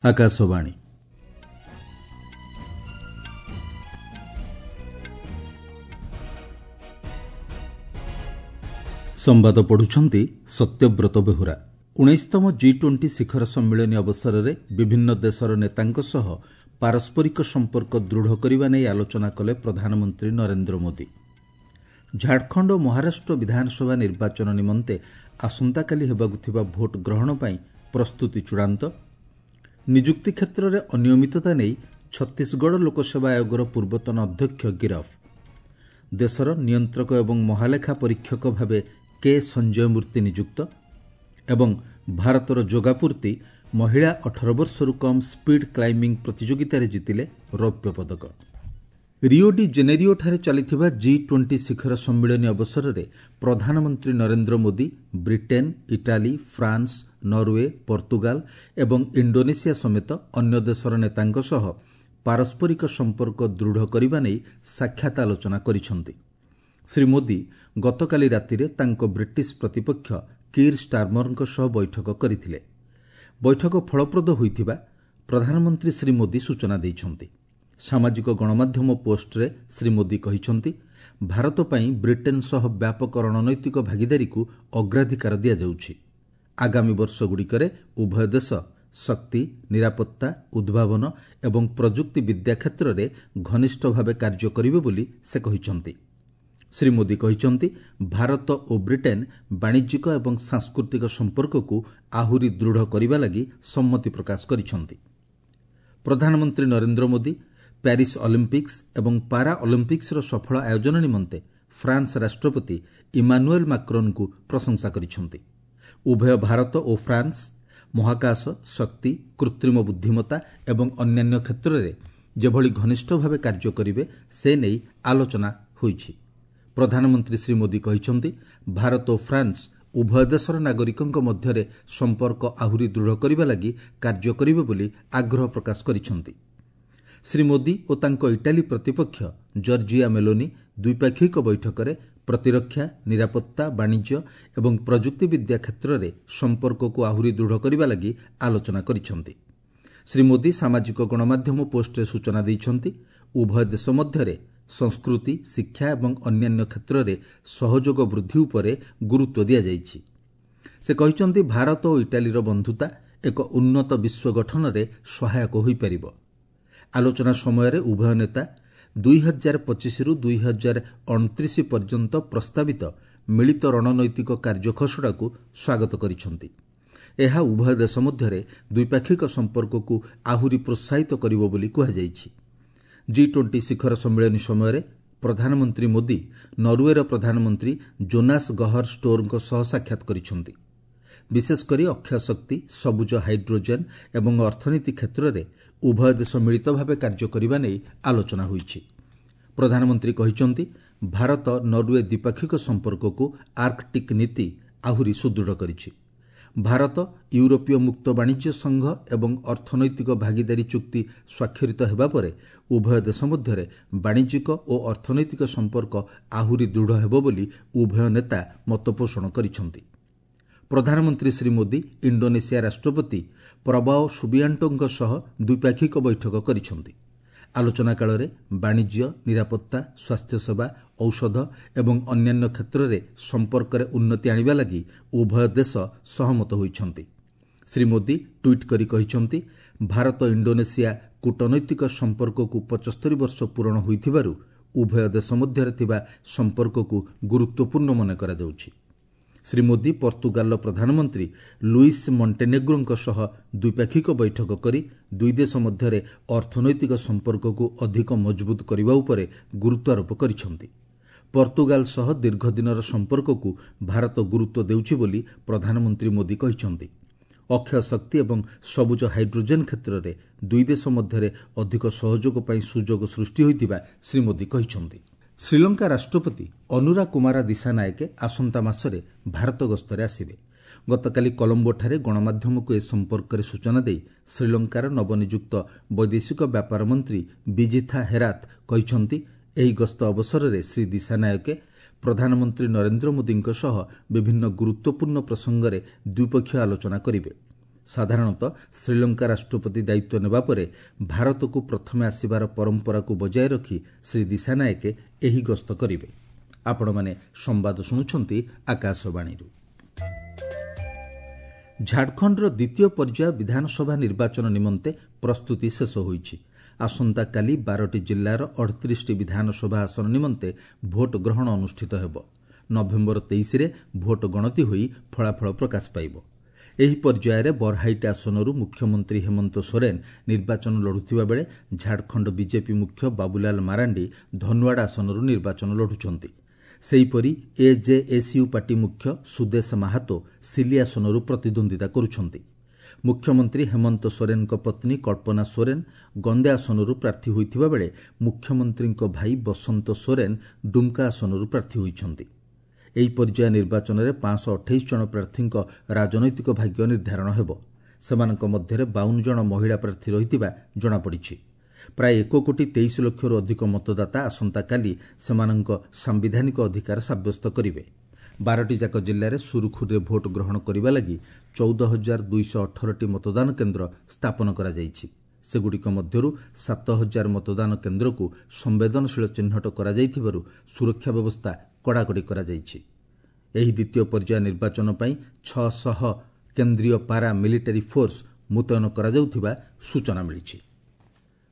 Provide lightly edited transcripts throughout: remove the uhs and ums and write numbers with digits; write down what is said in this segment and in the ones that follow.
ଆକାଶବାଣୀ। ସମ୍ବାଦ ପଢୁଛନ୍ତି ସତ୍ୟବ୍ରତ ବେହୁରା। 19ତମ ଜି 20 ଶିଖର ସମ୍ମିଳନୀ ଅବସରରେ ବିଭିନ୍ନ ଦେଶର ନେତାଙ୍କ ସହ ପାରସ୍ପରିକ ସମ୍ପର୍କ ଦୃଢ଼ କରିବା ନେଇ ଆଲୋଚନା କଲେ ପ୍ରଧାନମନ୍ତ୍ରୀ ନରେନ୍ଦ୍ର ମୋଦି। ଝାଡ଼ଖଣ୍ଡ ଓ ମହାରାଷ୍ଟ୍ର ବିଧାନସଭା ନିର୍ବାଚନ ନିମନ୍ତେ ଆସନ୍ତାକାଲି ହେବାକୁ ଥିବା ଭୋଟ୍ ଗ୍ରହଣ ପାଇଁ ପ୍ରସ୍ତୁତି ଚୂଡ଼ାନ୍ତ। ନିଯୁକ୍ତି କ୍ଷେତ୍ରରେ ଅନିୟମିତତା ନେଇ ଛତିଶଗଡ଼ ଲୋକସେବା ଆୟୋଗର ପୂର୍ବତନ ଅଧ୍ୟକ୍ଷ ଗିରଫ। ଦେଶର ନିୟନ୍ତ୍ରକ ଏବଂ ମହାଲେଖା ପରୀକ୍ଷକ ଭାବେ କେ ସଞ୍ଜୟ ମୂର୍ତ୍ତି ନିଯୁକ୍ତ। ଏବଂ ଭାରତର ଯୋଗାପୂର୍ତ୍ତି ମହିଳା 18 ବର୍ଷରୁ କମ୍ ସ୍ପିଡ୍ କ୍ଲାଇମ୍ବିଂ ପ୍ରତିଯୋଗିତାରେ ଜିତିଲେ ରୌପ୍ୟ ପଦକ। ରିଓ ଡି ଜେନେରିଓଠାରେ ଚାଲିଥିବା ଜି 20 ଶିଖର ସମ୍ମିଳନୀ ଅବସରରେ ପ୍ରଧାନମନ୍ତ୍ରୀ Narendra Modi Britain, Italy, France, Norway, Portugal ଏବଂ ଇଣ୍ଡୋନେସିଆ ସମେତ ଅନ୍ୟ ଦେଶର ନେତାଙ୍କ ସହ ପାରସ୍ପରିକ ସମ୍ପର୍କ ଦୃଢ଼ କରିବା ନେଇ ସାକ୍ଷାତ ଆଲୋଚନା କରିଛନ୍ତି। ଶ୍ରୀ ମୋଦି ଗତକାଲି ରାତିରେ ତାଙ୍କ ବ୍ରିଟିଶ ପ୍ରତିପକ୍ଷ କିର୍ ଷ୍ଟାର୍ମରଙ୍କ ସହ ବୈଠକ କରିଥିଲେ। ବୈଠକ ଫଳପ୍ରଦ ହୋଇଥିବା ପ୍ରଧାନମନ୍ତ୍ରୀ ଶ୍ରୀ ମୋଦି ସୂଚନା ଦେଇଛନ୍ତି। ସାମାଜିକ ଗଣମାଧ୍ୟମ ପୋଷ୍ଟରେ ଶ୍ରୀ ମୋଦି କହିଛନ୍ତି, ଭାରତ ପାଇଁ ବ୍ରିଟେନ୍ ସହ ବ୍ୟାପକ ରଣନୈତିକ ଭାଗିଦାରୀକୁ ଅଗ୍ରାଧିକାର ଦିଆଯାଉଛି। ଆଗାମୀ ବର୍ଷଗୁଡ଼ିକରେ ଉଭୟ ଦେଶ ଶକ୍ତି, ନିରାପତ୍ତା, ଉଦ୍ଭାବନ ଏବଂ ପ୍ରଯୁକ୍ତି ବିଦ୍ୟା କ୍ଷେତ୍ରରେ ଘନିଷ୍ଠ ଭାବେ କାର୍ଯ୍ୟ କରିବେ ବୋଲି ସେ କହିଛନ୍ତି। ଶ୍ରୀ ମୋଦି କହିଛନ୍ତି, ଭାରତ ଓ ବ୍ରିଟେନ୍ ବାଣିଜ୍ୟିକ ଏବଂ ସାଂସ୍କୃତିକ ସମ୍ପର୍କକୁ ଆହୁରି ଦୃଢ଼ କରିବା ଲାଗି ସମ୍ମତି ପ୍ରକାଶ କରିଛନ୍ତି। ପ୍ରଧାନମନ୍ତ୍ରୀ ନରେନ୍ଦ୍ର ମୋଦି ପ୍ୟାରିସ୍ ଅଲିମ୍ପିକ୍ସ ଏବଂ ପାରା ଅଲିମ୍ପିକ୍ସର ସଫଳ ଆୟୋଜନ ନିମନ୍ତେ ଫ୍ରାନ୍ସ ରାଷ୍ଟ୍ରପତି ଇମାନୁଏଲ୍ ମାକ୍ରୋନ୍ଙ୍କୁ ପ୍ରଶଂସା କରିଛନ୍ତି। ଉଭୟ ଭାରତ ଓ ଫ୍ରାନ୍ସ ମହାକାଶ, ଶକ୍ତି, କୃତ୍ରିମ ବୁଦ୍ଧିମତ୍ତା ଏବଂ ଅନ୍ୟାନ୍ୟ କ୍ଷେତ୍ରରେ ଯେଭଳି ଘନିଷ୍ଠ ଭାବେ କାର୍ଯ୍ୟ କରିବେ ସେ ନେଇ ଆଲୋଚନା ହୋଇଛି। ପ୍ରଧାନମନ୍ତ୍ରୀ ଶ୍ରୀ ମୋଦି କହିଛନ୍ତି, ଭାରତ ଓ ଫ୍ରାନ୍ସ ଉଭୟ ଦେଶର ନାଗରିକଙ୍କ ମଧ୍ୟରେ ସମ୍ପର୍କ ଆହୁରି ଦୃଢ଼ କରିବା ଲାଗି କାର୍ଯ୍ୟ କରିବେ ବୋଲି ଆଗ୍ରହ ପ୍ରକାଶ କରିଛନ୍ତି। ଶ୍ରୀ ମୋଦି ଓ ତାଙ୍କ ଇଟାଲୀ ପ୍ରତିପକ୍ଷ ଜର୍ଜିଆ ମେଲୋନି ଦ୍ୱିପାକ୍ଷିକ ବୈଠକରେ ପ୍ରତିରକ୍ଷା, ନିରାପତ୍ତା, ବାଣିଜ୍ୟ ଏବଂ ପ୍ରଯୁକ୍ତିବିଦ୍ୟା କ୍ଷେତ୍ରରେ ସମ୍ପର୍କକୁ ଆହୁରି ଦୃଢ଼ କରିବା ଲାଗି ଆଲୋଚନା କରିଛନ୍ତି। ଶ୍ରୀ ମୋଦି ସାମାଜିକ ଗଣମାଧ୍ୟମ ପୋଷ୍ଟରେ ସୂଚନା ଦେଇଛନ୍ତି, ଉଭୟ ଦେଶ ମଧ୍ୟରେ ସଂସ୍କୃତି, ଶିକ୍ଷା ଏବଂ ଅନ୍ୟାନ୍ୟ କ୍ଷେତ୍ରରେ ସହଯୋଗ ବୃଦ୍ଧି ଉପରେ ଗୁରୁତ୍ୱ ଦିଆଯାଇଛି। ସେ କହିଛନ୍ତି, ଭାରତ ଓ ଇଟାଲୀର ବନ୍ଧୁତା ଏକ ଉନ୍ନତ ବିଶ୍ୱ ଗଠନରେ ସହାୟକ ହୋଇପାରିବ। ଆଲୋଚନା ସମୟରେ ଉଭୟ ନେତା 2025ରୁ 2029 ପର୍ଯ୍ୟନ୍ତ ପ୍ରସ୍ତାବିତ ମିଳିତ ରଣନୈତିକ କାର୍ଯ୍ୟଖସଡ଼ାକୁ ସ୍ୱାଗତ କରିଛନ୍ତି। ଏହା ଉଭୟ ଦେଶ ମଧ୍ୟରେ ଦ୍ୱିପାକ୍ଷିକ ସମ୍ପର୍କକୁ ଆହୁରି ପ୍ରୋତ୍ସାହିତ କରିବ ବୋଲି କୁହାଯାଇଛି। ଜି 20 ଶିଖର ସମ୍ମିଳନୀ ସମୟରେ ପ୍ରଧାନମନ୍ତ୍ରୀ ମୋଦି ନରୱେର ପ୍ରଧାନମନ୍ତ୍ରୀ ଜୋନାସ୍ ଗହର ଷ୍ଟୋରଙ୍କ ସହ ସାକ୍ଷାତ କରିଛନ୍ତି। ବିଶେଷକରି ଅକ୍ଷୟ ଶକ୍ତି, ସବୁଜ ହାଇଡ୍ରୋଜେନ୍ ଏବଂ ଅର୍ଥନୀତି କ୍ଷେତ୍ରରେ ଉଭୟ ଦେଶ ମିଳିତ ଭାବେ କାର୍ଯ୍ୟ କରିବା ନେଇ ଆଲୋଚନା ହୋଇଛି। ପ୍ରଧାନମନ୍ତ୍ରୀ କହିଛନ୍ତି, ଭାରତ ନରୱେ ଦ୍ୱିପାକ୍ଷିକ ସମ୍ପର୍କକୁ ଆର୍କଟିକ୍ ନୀତି ଆହୁରି ସୁଦୃଢ଼ କରିଛି। ଭାରତ ୟୁରୋପୀୟ ମୁକ୍ତ ବାଣିଜ୍ୟ ସଂଘ ଏବଂ ଅର୍ଥନୈତିକ ଭାଗିଦାରୀ ଚୁକ୍ତି ସ୍ୱାକ୍ଷରିତ ହେବା ପରେ ଉଭୟ ଦେଶ ମଧ୍ୟରେ ବାଣିଜ୍ୟିକ ଓ ଅର୍ଥନୈତିକ ସମ୍ପର୍କ ଆହୁରି ଦୃଢ଼ ହେବ ବୋଲି ଉଭୟ ନେତା ମତପୋଷଣ କରିଛନ୍ତି। ପ୍ରଧାନମନ୍ତ୍ରୀ ଶ୍ରୀ ମୋଦି ଇଣ୍ଡୋନେସିଆ ରାଷ୍ଟ୍ରପତି ପ୍ରବାଓ ସୁବିଆଣ୍ଟୋଙ୍କ ସହ ଦ୍ୱିପାକ୍ଷିକ ବୈଠକ କରିଛନ୍ତି। ଆଲୋଚନା କାଳରେ ବାଣିଜ୍ୟ, ନିରାପତ୍ତା, ସ୍ୱାସ୍ଥ୍ୟସେବା, ଔଷଧ ଏବଂ ଅନ୍ୟାନ୍ୟ କ୍ଷେତ୍ରରେ ସମ୍ପର୍କରେ ଉନ୍ନତି ଆଣିବା ଲାଗି ଉଭୟ ଦେଶ ସହମତ ହୋଇଛନ୍ତି। ଶ୍ରୀ ମୋଦି ଟ୍ୱିଟ୍ କରି କହିଛନ୍ତି, ଭାରତ ଇଣ୍ଡୋନେସିଆ କୂଟନୈତିକ ସମ୍ପର୍କକୁ 75 ବର୍ଷ ପୂରଣ ହୋଇଥିବାରୁ ଉଭୟ ଦେଶ ମଧ୍ୟରେ ଥିବା ସମ୍ପର୍କକୁ ଗୁରୁତ୍ୱପୂର୍ଣ୍ଣ ମନେ କରାଯାଉଛି। ଶ୍ରୀ ମୋଦି ପର୍ତ୍ତୁଗାଲର ପ୍ରଧାନମନ୍ତ୍ରୀ ଲୁଇସ୍ ମଣ୍ଟେନେଗ୍ରୋଙ୍କ ସହ ଦ୍ୱିପାକ୍ଷିକ ବୈଠକ କରି ଦୁଇ ଦେଶ ମଧ୍ୟରେ ଅର୍ଥନୈତିକ ସମ୍ପର୍କକୁ ଅଧିକ ମଜବୁତ କରିବା ଉପରେ ଗୁରୁତ୍ୱାରୋପ କରିଛନ୍ତି। ପର୍ତ୍ତୁଗାଲ ସହ ଦୀର୍ଘଦିନର ସମ୍ପର୍କକୁ ଭାରତ ଗୁରୁତ୍ୱ ଦେଉଛି ବୋଲି ପ୍ରଧାନମନ୍ତ୍ରୀ ମୋଦି କହିଛନ୍ତି। ଅକ୍ଷୟ ଶକ୍ତି ଏବଂ ସବୁଜ ହାଇଡ୍ରୋଜେନ୍ କ୍ଷେତ୍ରରେ ଦୁଇ ଦେଶ ମଧ୍ୟରେ ଅଧିକ ସହଯୋଗ ପାଇଁ ସୁଯୋଗ ସୃଷ୍ଟି ହୋଇଥିବା ଶ୍ରୀ ମୋଦି କହିଛନ୍ତି। ଶ୍ରୀଲଙ୍କା ରାଷ୍ଟ୍ରପତି ଅନୁରା କୁମାରା ଦିଶାନାୟକେ ଆସନ୍ତା ମାସରେ ଭାରତ ଗସ୍ତରେ ଆସିବେ। ଗତକାଲି କଲମ୍ବୋଠାରେ ଗଣମାଧ୍ୟମକୁ ଏ ସମ୍ପର୍କରେ ସୂଚନା ଦେଇ ଶ୍ରୀଲଙ୍କାର ନବନିଯୁକ୍ତ ବୈଦେଶିକ ବ୍ୟାପାର ମନ୍ତ୍ରୀ ବିଜିଥା ହେରାତ୍ କହିଛନ୍ତି, ଏହି ଗସ୍ତ ଅବସରରେ ଶ୍ରୀ ଦିଶାନାୟକେ ପ୍ରଧାନମନ୍ତ୍ରୀ ନରେନ୍ଦ୍ର ମୋଦିଙ୍କ ସହ ବିଭିନ୍ନ ଗୁରୁତ୍ୱପୂର୍ଣ୍ଣ ପ୍ରସଙ୍ଗରେ ଦ୍ୱିପକ୍ଷୀୟ ଆଲୋଚନା କରିବେ। ସାଧାରଣତଃ ଶ୍ରୀଲଙ୍କା ରାଷ୍ଟ୍ରପତି ଦାୟିତ୍ୱ ନେବା ପରେ ଭାରତକୁ ପ୍ରଥମେ ଆସିବାର ପରମ୍ପରାକୁ ବଜାୟ ରଖି ଶ୍ରୀ ଦିଶାନାୟକେ ଏହି ଗସ୍ତ କରିବେ। ଆପଣମାନେ ସମ୍ବାଦ ଶୁଣୁଛନ୍ତି ଆକାଶବାଣୀରୁ। ଝାଡ଼ଖଣ୍ଡର ଦ୍ୱିତୀୟ ପର୍ଯ୍ୟାୟ ବିଧାନସଭା ନିର୍ବାଚନ ନିମନ୍ତେ ପ୍ରସ୍ତୁତି ଶେଷ ହୋଇଛି। ଆସନ୍ତାକାଲି 12ଟି ଜିଲ୍ଲାର 38ଟି ବିଧାନସଭା ଆସନ ନିମନ୍ତେ ଭୋଟ ଗ୍ରହଣ ଅନୁଷ୍ଠିତ ହେବ। ନଭେମ୍ବର 23ରେ ଭୋଟ ଗଣତି ହୋଇ ଫଳାଫଳ ପ୍ରକାଶ ପାଇବ। ଏହି ପର୍ଯ୍ୟାୟରେ ବରହାଇଟ୍ ଆସନରୁ ମୁଖ୍ୟମନ୍ତ୍ରୀ ହେମନ୍ତ ସୋରେନ ନିର୍ବାଚନ ଲଢ଼ୁଥିବା ବେଳେ ଝାଡ଼ଖଣ୍ଡ ବିଜେପି ମୁଖ୍ୟ ବାବୁଲାଲ ମାରାଣ୍ଡି ଧନୱାଡ଼ା ଆସନରୁ ନିର୍ବାଚନ ଲଢ଼ୁଛନ୍ତି। ସେହିପରି ଏଜେଏସ୍ୟୁ ପାର୍ଟି ମୁଖ୍ୟ ସୁଦେଶ ମାହାତୋ ସିଲି ଆସନରୁ ପ୍ରତିଦ୍ୱନ୍ଦ୍ୱିତା କରୁଛନ୍ତି। ମୁଖ୍ୟମନ୍ତ୍ରୀ ହେମନ୍ତ ସୋରେନଙ୍କ ପତ୍ନୀ କଳ୍ପନା ସୋରେନ ଗନ୍ଦେ ଆସନରୁ ପ୍ରାର୍ଥୀ ହୋଇଥିବା ବେଳେ ମୁଖ୍ୟମନ୍ତ୍ରୀଙ୍କ ଭାଇ ବସନ୍ତ ସୋରେନ ଡୁମ୍କା ଆସନରୁ ପ୍ରାର୍ଥୀ ହୋଇଛନ୍ତି। ଏହି ପର୍ଯ୍ୟାୟ ନିର୍ବାଚନରେ 528 ଜଣ ପ୍ରାର୍ଥୀଙ୍କ ରାଜନୈତିକ ଭାଗ୍ୟ ନିର୍ଦ୍ଧାରଣ ହେବ। ସେମାନଙ୍କ ମଧ୍ୟରେ 52 ଜଣ ମହିଳା ପ୍ରାର୍ଥୀ ରହିଥିବା ଜଣାପଡ଼ିଛି। ପ୍ରାୟ 1 କୋଟି 23 ଲକ୍ଷରୁ ଅଧିକ ମତଦାତା ଆସନ୍ତାକାଲି ସେମାନଙ୍କ ସାମ୍ବିଧାନିକ ଅଧିକାର ସାବ୍ୟସ୍ତ କରିବେ। 12ଟି ଯାକ ଜିଲ୍ଲାରେ ସୁରୁଖୁରୁରେ ଭୋଟ ଗ୍ରହଣ କରିବା ଲାଗି 14,218ଟି ମତଦାନ କେନ୍ଦ୍ର ସ୍ଥାପନ କରାଯାଇଛି। ସେଗୁଡ଼ିକ ମଧ୍ୟରୁ 7,000 ମତଦାନ କେନ୍ଦ୍ରକୁ ସମ୍ବେଦନଶୀଳ ଚିହ୍ନଟ କରାଯାଇଥିବାରୁ ସୁରକ୍ଷା ବ୍ୟବସ୍ଥା କଡ଼ାକଡ଼ି କରାଯାଇଛି। ଏହି ଦ୍ୱିତୀୟ ପର୍ଯ୍ୟାୟ ନିର୍ବାଚନ ପାଇଁ 600 କେନ୍ଦ୍ରୀୟ ପାରା ମିଲିଟାରୀ ଫୋର୍ସ ମୁତୟନ କରାଯାଉଥିବା ସୂଚନା ମିଳିଛି।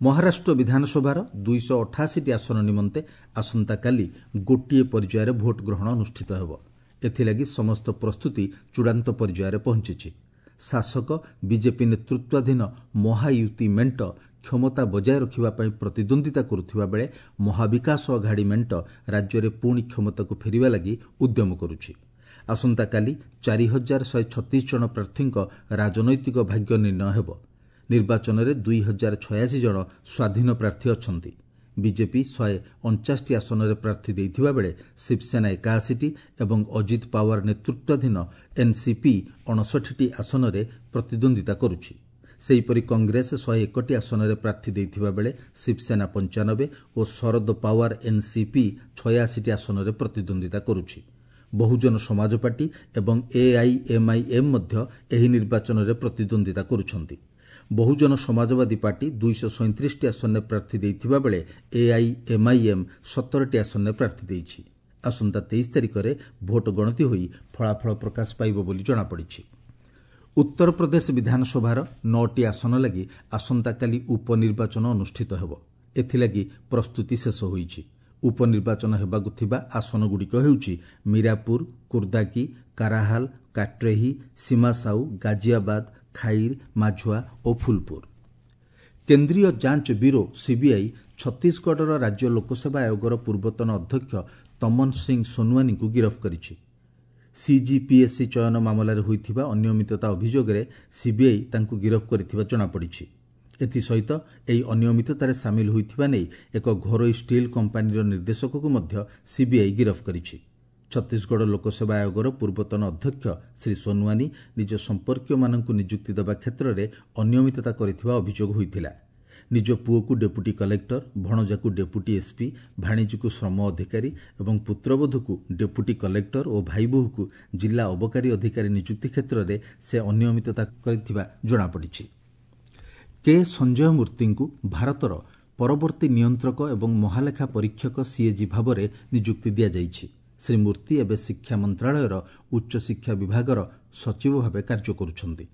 ମହାରାଷ୍ଟ୍ର ବିଧାନସଭାର 288ଟି ଆସନ ନିମନ୍ତେ ଆସନ୍ତାକାଲି ଗୋଟିଏ ପର୍ଯ୍ୟାୟରେ ଭୋଟ ଗ୍ରହଣ ଅନୁଷ୍ଠିତ ହେବ। ଏଥିଲାଗି ସମସ୍ତ ପ୍ରସ୍ତୁତି ଚୂଡ଼ାନ୍ତ ପର୍ଯ୍ୟାୟରେ ପହଞ୍ଚିଛି। ଶାସକ ବିଜେପି ନେତୃତ୍ୱାଧୀନ ମହାୟୁତି ମେଣ୍ଟ କ୍ଷମତା ବଜାୟ ରଖିବା ପାଇଁ ପ୍ରତିଦ୍ୱନ୍ଦ୍ୱିତା କରୁଥିବା ବେଳେ ମହାବିକାଶ ଅଘାଡ଼ି ମେଣ୍ଟ ରାଜ୍ୟରେ ପୁଣି କ୍ଷମତାକୁ ଫେରିବା ଲାଗି ଉଦ୍ୟମ କରୁଛି। ଆସନ୍ତାକାଲି 4136 ଜଣ ପ୍ରାର୍ଥୀଙ୍କ ରାଜନୈତିକ ଭାଗ୍ୟ ନିର୍ଣ୍ଣୟ ହେବ। ନିର୍ବାଚନରେ 2086 ଜଣ ସ୍ୱାଧୀନ ପ୍ରାର୍ଥୀ ଅଛନ୍ତି। ବିଜେପି 149ଟି ଆସନରେ ପ୍ରାର୍ଥୀ ଦେଇଥିବା ବେଳେ ଶିବସେନା 81ଟି ଏବଂ ଅଜିତ ପାୱାର ନେତୃତ୍ୱାଧୀନ ଏନ୍ସିପି 59ଟି ଆସନରେ ପ୍ରତିଦ୍ୱନ୍ଦ୍ୱିତା କରୁଛି। ସେହିପରି କଂଗ୍ରେସ 101ଟି ଆସନରେ ପ୍ରାର୍ଥୀ ଦେଇଥିବା ବେଳେ ଶିବସେନା 95 ଓ ଶରଦ ପାୱାର ଏନ୍ସିପି 86ଟି ଆସନରେ ପ୍ରତିଦ୍ୱନ୍ଦ୍ୱିତା କରୁଛି। ବହୁଜନ ସମାଜ ପାର୍ଟି ଏବଂ ଏଆଇଏମ୍ଆଇଏମ୍ ମଧ୍ୟ ଏହି ନିର୍ବାଚନରେ ପ୍ରତିଦ୍ୱନ୍ଦ୍ୱିତା କରୁଛନ୍ତି। ବହୁଜନ ସମାଜବାଦୀ ପାର୍ଟି 237ଟି ଆସନରେ ପ୍ରାର୍ଥୀ ଦେଇଥିବା ବେଳେ ଏଆଇଏମ୍ଆଇଏମ୍ 17ଟି ଆସନରେ ପ୍ରାର୍ଥୀ ଦେଇଛି। ଆସନ୍ତା 23 ତାରିଖରେ ଭୋଟ ଗଣତି ହୋଇ ଫଳାଫଳ ପ୍ରକାଶ ପାଇବ ବୋଲି ଜଣାପଡ଼ିଛି। ଉତ୍ତରପ୍ରଦେଶ ବିଧାନସଭାର 9ଟି ଆସନ ଲାଗି ଆସନ୍ତାକାଲି ଉପନିର୍ବାଚନ ଅନୁଷ୍ଠିତ ହେବ। ଏଥିଲାଗି ପ୍ରସ୍ତୁତି ଶେଷ ହୋଇଛି। ଉପନିର୍ବାଚନ ହେବାକୁ ଥିବା ଆସନଗୁଡ଼ିକ ହେଉଛି ମୀରାପୁର, କୁର୍ଦାକି, କାରାହାଲ, କାଟ୍ରେହି, ସୀମାସାଉ, ଗାଜିଆବାଦ, ଖାଇର, ମାଝୁଆ ଓ ଫୁଲପୁର। କେନ୍ଦ୍ରୀୟ ଯାଞ୍ଚ ବ୍ୟୁରୋ ସିବିଆଇ ଛତିଶଗଡ଼ର ରାଜ୍ୟ ଲୋକସେବା ଆୟୋଗର ପୂର୍ବତନ ଅଧ୍ୟକ୍ଷ ତମନ ସିଂ ସୋନୱାନୀଙ୍କୁ ଗିରଫ କରିଛି। ସିଜିପିଏସ୍ସି ଚୟନ ମାମଲାରେ ହୋଇଥିବା ଅନିୟମିତତା ଅଭିଯୋଗରେ ସିବିଆଇ ତାଙ୍କୁ ଗିରଫ କରିଥିବା ଜଣାପଡ଼ିଛି। ଏଥିସହିତ ଏହି ଅନିୟମିତତାରେ ସାମିଲ ହୋଇଥିବା ନେଇ ଏକ ଘରୋଇ ଷ୍ଟିଲ୍ କମ୍ପାନୀର ନିର୍ଦ୍ଦେଶକକୁ ମଧ୍ୟ ସିବିଆଇ ଗିରଫ କରିଛି। ଛତିଶଗଡ଼ ଲୋକସେବା ଆୟୋଗର ପୂର୍ବତନ ଅଧ୍ୟକ୍ଷ ଶ୍ରୀ ସୋନୱାନୀ ନିଜ ସମ୍ପର୍କୀୟମାନଙ୍କୁ ନିଯୁକ୍ତି ଦେବା କ୍ଷେତ୍ରରେ ଅନିୟମିତତା କରିଥିବା ଅଭିଯୋଗ ହୋଇଥିଲା। ନିଜ ପୁଅକୁ ଡେପୁଟି କଲେକ୍ଟର, ଭଣଜାକୁ ଡେପୁଟି ଏସ୍ପି, ଭାଣିଜୀକୁ ଶ୍ରମ ଅଧିକାରୀ ଏବଂ ପୁତ୍ରବଧୂକୁ ଡେପୁଟି କଲେକ୍ଟର ଓ ଭାଇବୋହୂକୁ ଜିଲ୍ଲା ଅବକାରୀ ଅଧିକାରୀ ନିଯୁକ୍ତି କ୍ଷେତ୍ରରେ ସେ ଅନିୟମିତତା କରିଥିବା ଜଣାପଡ଼ିଛି। କେ ସଞ୍ଜୟ ମୂର୍ତ୍ତିଙ୍କୁ ଭାରତର ପରବର୍ତ୍ତୀ ନିୟନ୍ତ୍ରକ ଏବଂ ମହାଲେଖା ପରୀକ୍ଷକ ସିଏଜି ଭାବରେ ନିଯୁକ୍ତି ଦିଆଯାଇଛି। ଶ୍ରୀ ମୂର୍ତ୍ତି ଏବେ ଶିକ୍ଷା ମନ୍ତ୍ରଣାଳୟର ଉଚ୍ଚଶିକ୍ଷା ବିଭାଗର ସଚିବ ଭାବେ କାର୍ଯ୍ୟ କରୁଛନ୍ତି।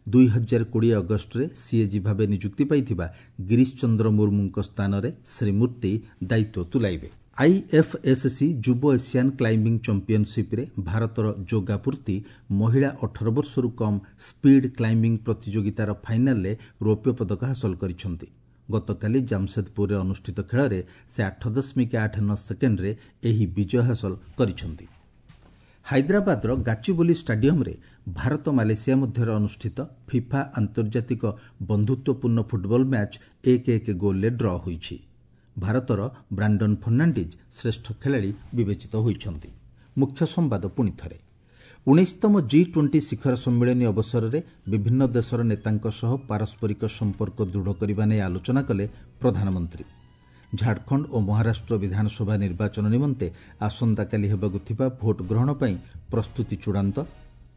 2020 ଅଗଷ୍ଟରେ ସିଏଜି ଭାବେ ନିଯୁକ୍ତି ପାଇଥିବା ଗିରିଶ ଚନ୍ଦ୍ର ମୁର୍ମୁଙ୍କ ସ୍ଥାନରେ ଶ୍ରୀ ମୂର୍ତ୍ତି ଦାୟିତ୍ୱ ତୁଲାଇବେ। ଆଇଏଫ୍ଏସ୍ସି ଯୁବ ଏସିଆନ୍ କ୍ଲାଇମ୍ବିଂ ଚାମ୍ପିୟନସିପ୍ରେ ଭାରତର ଯୋଗା ପୂର୍ତ୍ତି ମହିଳା 18 ବର୍ଷରୁ କମ୍ ସ୍ପିଡ୍ କ୍ଲାଇମ୍ବିଂ ପ୍ରତିଯୋଗିତାର ଫାଇନାଲ୍ରେ ରୌପ୍ୟ ପଦକ ହାସଲ କରିଛନ୍ତି। ଗତକାଲି ଜାମସେଦପୁରରେ ଅନୁଷ୍ଠିତ ଖେଳରେ ସେ 8.89 ସେକେଣ୍ଡରେ ଏହି ବିଜୟ ହାସଲ କରିଛନ୍ତି। ହାଇଦ୍ରାବାଦର ଗାଚିବୋଲି ଷ୍ଟାଡିୟମ୍ରେ ଭାରତ ମାଲେସିଆ ମଧ୍ୟରେ ଅନୁଷ୍ଠିତ ଫିଫା ଆନ୍ତର୍ଜାତିକ ବନ୍ଧୁତ୍ୱପୂର୍ଣ୍ଣ ଫୁଟବଲ ମ୍ୟାଚ୍ 1-1 ଗୋଲ୍ରେ ଡ୍ର ହୋଇଛି। ଭାରତର ବ୍ରାଣ୍ଡନ୍ ଫର୍ଣ୍ଣାଣ୍ଡିଜ୍ ଶ୍ରେଷ୍ଠ ଖେଳାଳି ବିବେଚିତ ହୋଇଛନ୍ତି। ମୁଖ୍ୟ ସମ୍ବାଦ ପୁଣି ଥରେ। 19ତମ ଜି-20 ଶିଖର ସମ୍ମିଳନୀ ଅବସରରେ ବିଭିନ୍ନ ଦେଶର ନେତାଙ୍କ ସହ ପାରସ୍ପରିକ ସମ୍ପର୍କ ଦୃଢ଼ କରିବା ନେଇ ଆଲୋଚନା କଲେ ପ୍ରଧାନମନ୍ତ୍ରୀ। ଝାଡ଼ଖଣ୍ଡ ଓ ମହାରାଷ୍ଟ୍ର ବିଧାନସଭା ନିର୍ବାଚନ ନିମନ୍ତେ ଆସନ୍ତାକାଲି ହେବାକୁ ଥିବା ଭୋଟ ଗ୍ରହଣ ପାଇଁ ପ୍ରସ୍ତୁତି ଚୂଡ଼ାନ୍ତ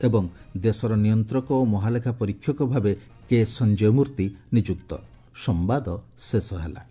ଏବଂ ଦେଶର ନିୟନ୍ତ୍ରକ ଓ ମହାଲେଖା ପରୀକ୍ଷକ ଭାବେ କେ ସଞ୍ଜୟ ମୂର୍ତ୍ତି ନିଯୁକ୍ତ। ସମ୍ବାଦ ଶେଷ ହେଲା।